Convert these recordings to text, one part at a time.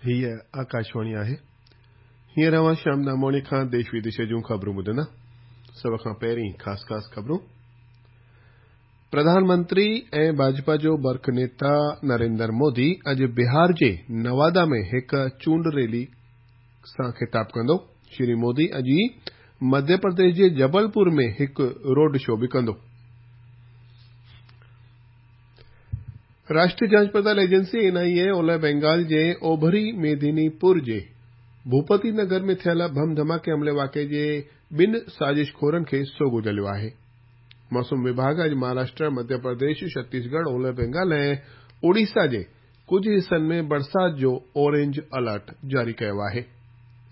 هيء آڪاشواڻي آهي. هينئر اوهان شيام داموڻي کان ديش وديش جون خبرون ٻڌندا. سڀ کان پهرين خاص خاص خبرون. پرڌان منتري ۽ ڀاجپا جو برک نيتا نريندر مودي اڄ بهار جي نوادا ۾ هڪ چونڊ ريلي سان خطاب ڪندو. شري مودي اڄ ئي مڌيه پرديش جي جبلپور ۾ هڪ روڊ شو به ڪندو. راشٽريه جانچ پڙتال ايجنسي، اين آء اي، اولهه بينگال جي اوڀري ميدني پور جي ڀوپتي نگر ۾ ٿيل بم ڌماڪي حملي واقعي جي ٻن سازش خورن کي سوگهو جهليو آهي. موسم وڀاڳ اڄ مهاراشٽر، مڌيه پرديش، ڇتيسڳڙهه، اولهه بينگال ۽ اوڙيسا جي ڪجهه حصن ۾ برسات جو اورينج الرٽ جاري ڪيو آهي.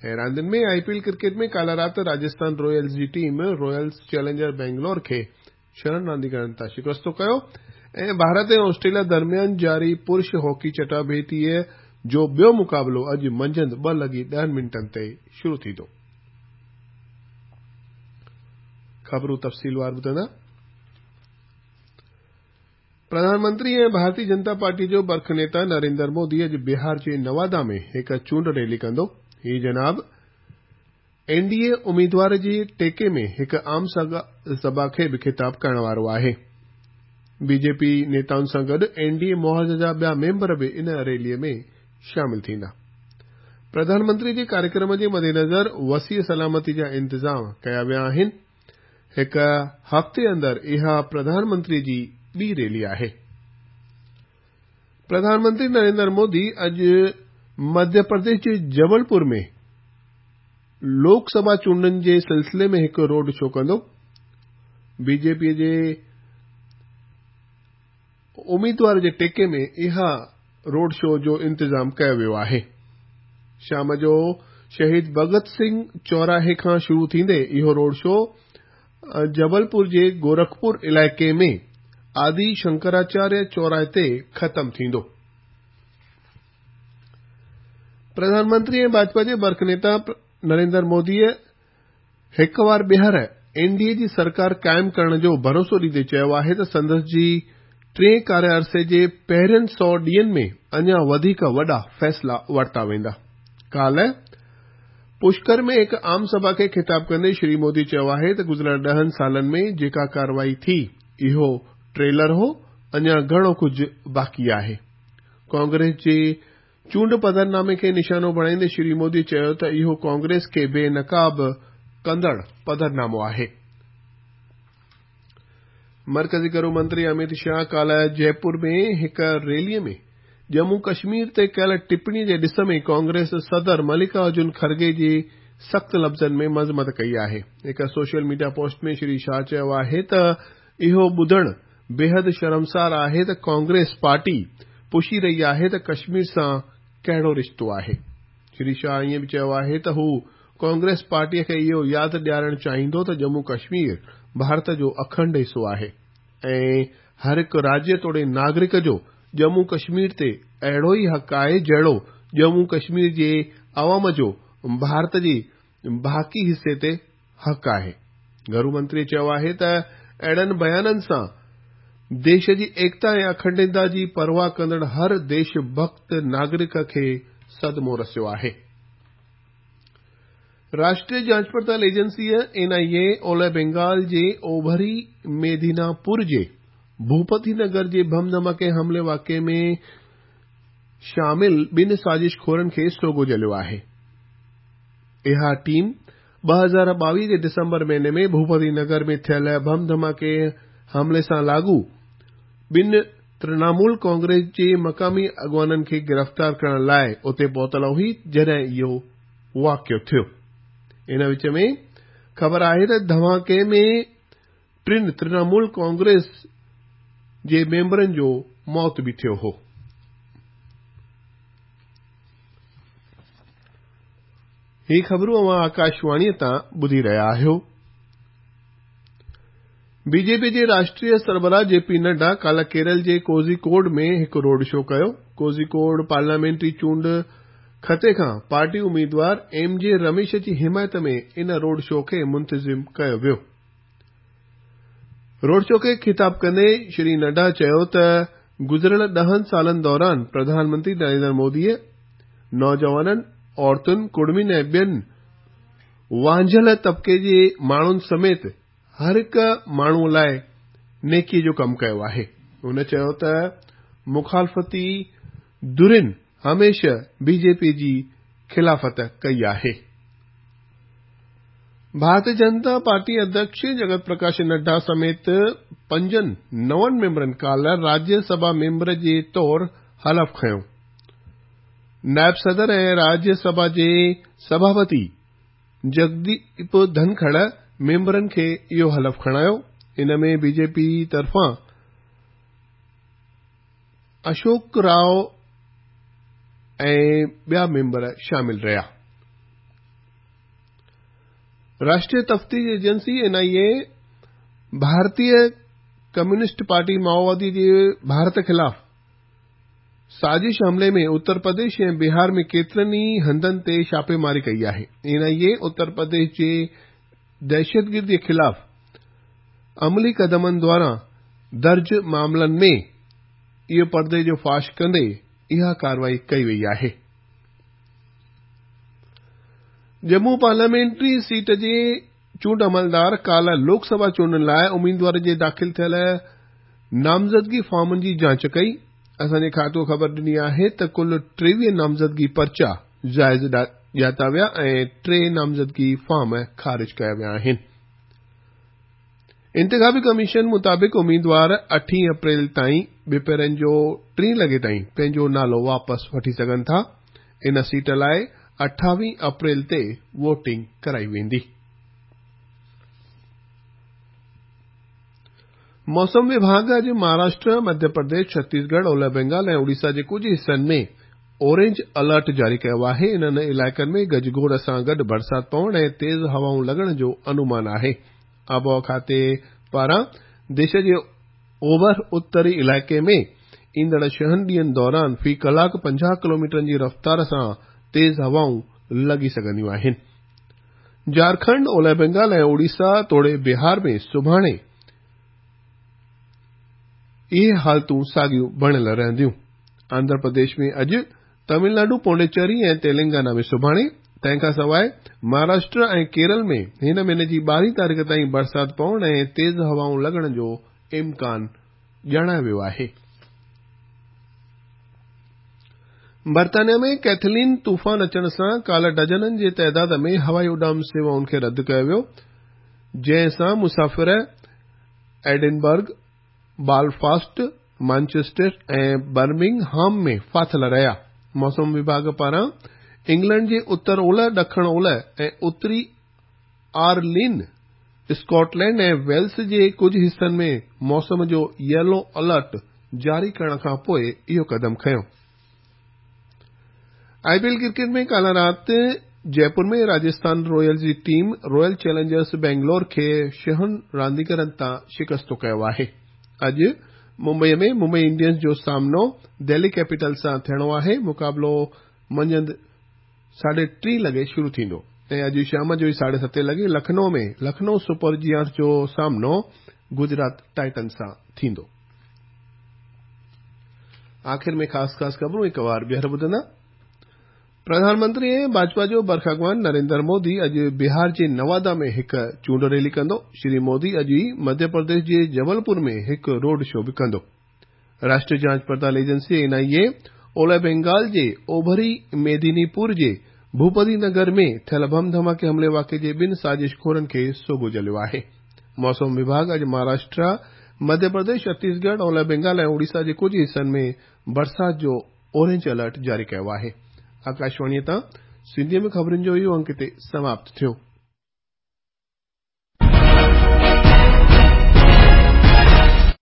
۽ راندين ۾ آء پي ايل ڪرڪيٽ ۾ ڪالهه رات راجسٿان رويلز جي ٽيم رويلز چئلينجر بينگلور کي ڇهن رانديگرن تان شڪستو ڪيو ۽ ڀارت ۽ آسٽريليا درميان جاري پرش هاڪي چٽاڀيٽيء جو ٻيو مقابلو اڄ منجهند 2:10 تي شروع ٿيندو. خبرون تفصيلوار ٻڌندا. پرڌان منتري ۽ ڀارتي جنتا پارٽي جو برک نيتا نريندر مودي اڄ بهار جي نوادا ۾ هڪ چونڊ ريلي ڪندو. هي جناب اين ڊي اي اميدوار جي ٽيڪي ۾ هڪ عام سڀا کي به خطاب ڪرڻ وارو آهي. بي جي پي نيتائن سان گڏ اين ڊي اي محاذ جا ٻيا ميمبر به ان ريلي ۾ شامل ٿيندا. پرڌان منتري جي ڪاريڪرم جي مدنظر وسيع سلامتي جا انتظام ڪيا ويا آهن. هڪ هفتي اندر اها پرڌان منتري جي ٻي ريلي آهي. پرڌان منتري نريندر مودي اڄ مڌيه پرديش جي جبلپور ۾ لوڪ سڀا چونڊن جي سلسلي ۾ هڪ روڊ شو ڪندو. بي جي پي جي اميدوار جي ٽيڪي ۾ اها روڊ شو جو انتظام ڪيو ويو آهي. شام جو شهيد ڀڳت سنگهه چوراهي کان شروع ٿيندي اهو روڊ شو جبلپور جي گورکپور علائقي ۾ آدي شنڪراچاريه چوراهي تي ختم ٿيندو. پرڌان منتري ۽ ڀاجپا جي برک نيتا نريندر موديء هڪ وار ٻيهر اين ڊي اي جي سرڪار قائم ڪرڻ جو ڀروسو ڏيندي چيو آهي ته سندس جي ٽئين ڪاريه عرصي جي پهرين 100 ڏينهن ۾ اڃا وڌيڪ وڏا فيصلا ورتا ويندا. ڪالهه پشڪر ۾ هڪ عام سڀا کي خطاب ڪندي شري مودي چيو آهي ته گذريل 10 سالن ۾ جيڪا ڪارروائي ٿي اهو ٽريلر هو، اڃا گهڻو ڪجهه باقي آهي. ڪانگريس جي چونڊ پڌرنامي کي نشانو بڻائيندي شري مودي چيو ته اهو ڪانگريس کي بي نقاب ڪندڙ پڌرنامو آهي. مرڪزي گهرو منتري اميت شاهه ڪالهه جئپور ۾ هڪ ريلي ۾ ڄمون ڪشمير تي ڪيل ٽپڻي جي ڏس ۾ ڪانگريس صدر ملڪا ارجن کرگي جي سخت لفظن ۾ مذمت ڪئي آهي. هڪ social media post ۾ Shri Shah چيو آهي ته اهو ٻڌڻ بيحد شرمسار آهي ته ڪانگريس پارٽي پڇي رهي آهي ته ڪشمير سان ڪهڙو رشتو آهي. شري شاهه ائين به چيو آهي ته هو ڪانگريس پارٽي کي اهو ياد ڏيارڻ چاهيندو ته ڄمون ڪشمير ڀارت جو اکنڊ حصو آهي ۽ هر هڪ راجيه توڙي ناگرڪ جو ڄمون ڪشمير تي اهڙو ئي حق آهي جهڙو ڄمون ڪشمير جي عوام جو ڀارت جي باقي حصي تي حق آهي. گهرو منتري چيو آهي ته اهڙن بيانن سان ديش جي ايڪتا ۽ اکنڊتا جي پرواهه ڪندڙ هر ديش ڀڳت ناگرڪ کي صدمو رسيو آهي. راشٽريه جانچ پڙتال ايجنسيء، اين آء اي، اولهه بينگال جي اوڀري ميدناپور جي ڀوپتي نگر جي بم ڌماڪي حملي واقعي ۾ شامل ٻن سازش خورن کي سوگهو جهليو آهي. اها ٽيم 2022 جي ڊسمبر مهيني ۾ ڀوپتي نگر ۾ ٿيل بم ڌماڪي حملي سان لاڳو ٻن ترنامول ڪانگريس جي مقامي اڳواڻن کي گرفتار ڪرڻ لاء اتي پهتل هئي جڏهن اهو واقعو ٿيو. ان وچ ۾ خبر آهي ته ڌماڪي ۾ ٽن ترنامول ڪانگريس جي ميمبرن جو موت به ٿيو هو. هي خبرون اوهان آڪاشواڻيء تان ٻڌي رهيا آهيو. بي جي پي جي راشٽريه سربراهه جي پي نڊا ڪالهه ڪيرل جي ڪوزي ڪوڊ ۾ هڪ روڊ شو ڪيو. ڪوزي ڪوڊ پارليامينٽري چونڊ خطي کان پارٽي اميدوار ايم جي رميش جي حمايت ۾ ان روڊ شو کي منتظم ڪيو ويو. روڊ شو کي خطاب ڪندي شري نڊا چيو ته گذريل 10 سالن دوران پرڌان منتري نريندر موديء نوجوانن، عورتن، ڪڙمين ۽ ٻين وانجهيل طبقي جي ماڻهن سميت هر هڪ ماڻهو لاء نيڪي جو ڪم ڪيو آهي. هن چيو ته مخالفتي ڌرين هميشه بي جي پي جي خلافت ڪئي آهي. ڀارتي جنتا پارٽي اڌيڪش جگت پرڪاش نڊا سميت پنجن نون ميمبرن ڪالهه راجيه سڀا ميمبر جي طور حلف کنيو. نائب صدر ۽ راجيه سڀا جي سڀاپتي جگديپ ڌنکڙ ميمبرن کي اهو حلف کڻايو. ان ۾ بي جي پي طرفان اشوڪ راء ۽ ٻيا ميمبر شامل رهيا. راشٽريه تفتيش ايجنسي، اين آء اي، ڀارتي ڪميونسٽ پارٽي مائووادي جي ڀارت خلاف سازش حملي ۾ اتر پرديش ۽ بهار ۾ ڪيترن ئي هنڌن تي ڇاپيماري ڪئي آهي. اين آء اي اتر پرديش جي دهشتگردي خلاف عملي قدمن دوران درج معاملن ۾ اهو پردي جو فاش ڪندي اها ڪارروائي ڪئي وئي آهي. ڄمون پارليامينٽري سيٽ جي چونڊ عملدار ڪالهه لوڪ سڀا چونڊن لاء اميدوارن جي داخل ٿيل نامزدگي فارمن جي جاچ ڪئي. اسان جي کاتو خبر ڏني آهي ته ڪل 23 نامزدگي پرچا جائز ڄاتا ويا ۽ 3 نامزدگي فارم خارج ڪيا ويا آهن. انتخابي ڪميشن مطابق اميدوار اٺين اپريل تائين ٻپهرن جو ٽين لڳي تائين پنهنجو نالو واپس وٺي سگهن ٿا. ان سيٽ لاء 28 اپريل تي ووٽنگ ڪرائي ويندي. موسم وڀاڳ اڄ مهاراشٽر، مڌيه پرديش، ڇتيسڳڙهه، اولهه بينگال ۽ اوڙيسا جي ڪجهه حصن ۾ اورينج الرٽ جاري ڪيو آهي. انهن علائقن ۾ گجگوڙ سان گڏ برسات پوڻ ۽ تيز هوائون لڳڻ جو انومان آهي. آبهوا کاتي پاران ديش جي اوڀر اتري علائقي ۾ ايندڙ ڇهن ڏينهن دوران في ڪلاڪ 50 ڪلوميٽرن جي رفتار سان تيز هوائون لڳي سگهنديون آهن. جهارکنڊ، اولهه بينگال ۽ اوڙيسا توڙي بهار ۾ سڀاڻي اهي حالتون ساڳيون بڻيل رهنديون. آنڌرا پرديش ۾ اڄ، تامل ناڊو، پونڊيچيري ۽ تيلنگانا ۾ سڀاڻي، تنهن کان سواء مهاراشٽر ۽ ڪيرل ۾ هن مهيني جي 12 تاريخ تائين برسات پوڻ ۽ تيز هوائون لڳڻ جو امڪان ڄاڻايو ويو آهي. برطانيا ۾ ڪيٿلين طوفان اچڻ سان ڪالهه ڊزنن جي تعداد ۾ هوائي اڏام سيوائن کي رد ڪيو ويو، جنهن سان مسافر ايڊنبرگ، بالفاسٽ، مانچسٽر ۽ برمنگهام ۾ ڦاٿل رهيا. موسم وڀاڳ پاران انگلينڊ جي اتر اولهه، ڏکڻ اولهه ۽ اتري آئرلينڊ، اسڪاٽلينڊ ۽ ويلز جي ڪجهه حصن ۾ موسم جو ييلو الرٽ جاري ڪرڻ کانپوء اهو قدم کنيو. آء پي ايل ڪرڪيٽ ۾ ڪالهه رات جئپور ۾ راجسٿان رويلز جي ٽيم رائل چئلينجرز بينگلور کي ڇهن رانديگرن تان شڪستو ڪيو آهي. اڄ ممبئي ۾ ممبئي انڊينز جو سامنو دهلي ڪيپيٽلز سان ٿيڻو آهي، مقابلو منجهند 3:30 لڳي شروع ٿيندو ۽ اڄ شام جو 7:30 لڳي لکنؤ ۾ لکنؤ سپر جيانٽس جو سامنو گجرات ٽائٽنز سان ٿيندو. آخر ۾ خاص خاص خبرون هڪ وار ٻيهر ٻڌندا. پرڌان منتري ۽ ڀاجپا جو برک اڳواڻ نريندر مودي اڄ بهار جي نوادا ۾ هڪ چونڊ ريلي ڪندو. شري مودي اڄ ئي مڌيه پرديش جي جبلپور ۾ هڪ روڊ شو به ڪندو. راشٽريه جاچ پڙتال ايجنسي، اين آء اي، اولهه بينگال جي اوڀري ميديني پور جي ڀوپتي نگر ۾ ٿيل بم ڌماڪي حملي واقعي جي ٻن سازش خورن کي سوگهو جهليو آهي. موسم وڀاڳ اڄ مهاراشٽرا، مڌيه پرديش، ڇتيسڳڙهه، اولهه بينگال ۽ اوڙيسا جي ڪجهه حصن ۾ برسات جو اورينج الرٽ جاري ڪيو آهي. آڪاشواڻيء تان سنڌيء ۾ خبرن جو اهو انڪ هتي سماپت ٿيو.